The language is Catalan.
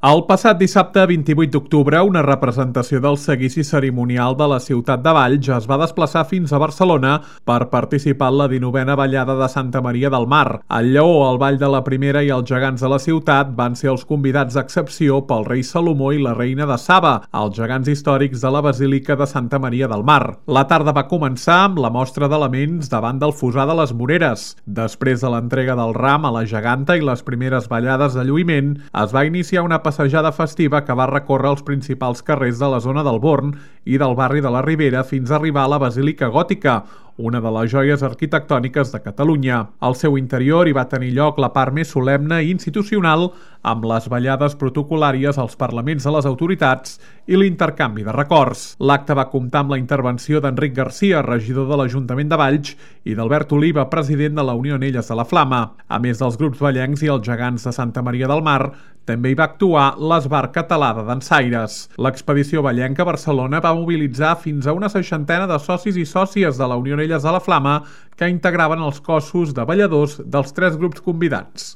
El passat dissabte 28 d'octubre, una representació del seguici cerimonial de la ciutat de Valls es va desplaçar fins a Barcelona per participar en la 19a ballada de Santa Maria del Mar. El Lleó, el Ball de la Primera i els gegants de la ciutat van ser els convidats d'excepció pel rei Salomó i la reina de Saba, els gegants històrics de la Basílica de Santa Maria del Mar. La tarda va començar amb la mostra d'elements davant del fossar de les Moreres. Després de l'entrega del ram a la geganta i les primeres ballades de lluïment, es va iniciar una passejada festiva que va recórrer els principals carrers de la zona del Born i del barri de la Ribera fins a arribar a la Basílica Gòtica, una de les joies arquitectòniques de Catalunya. Al seu interior hi va tenir lloc la part més solemne i institucional, amb les ballades protocolàries als parlaments de les autoritats i l'intercanvi de records. L'acte va comptar amb la intervenció d'Enric Garcia, regidor de l'Ajuntament de Valls, i d'Albert Oliva, president de la Unió Anelles de la Flama. A més dels grups vallencs i els gegants de Santa Maria del Mar, també hi va actuar l'Esbart Català de Dansaires. L'expedició vallenca a Barcelona va mobilitzar fins a una 60 de socis i sòcies de la Unió Anelles de la Flama que integraven els cossos de balladors dels 3 grups convidats.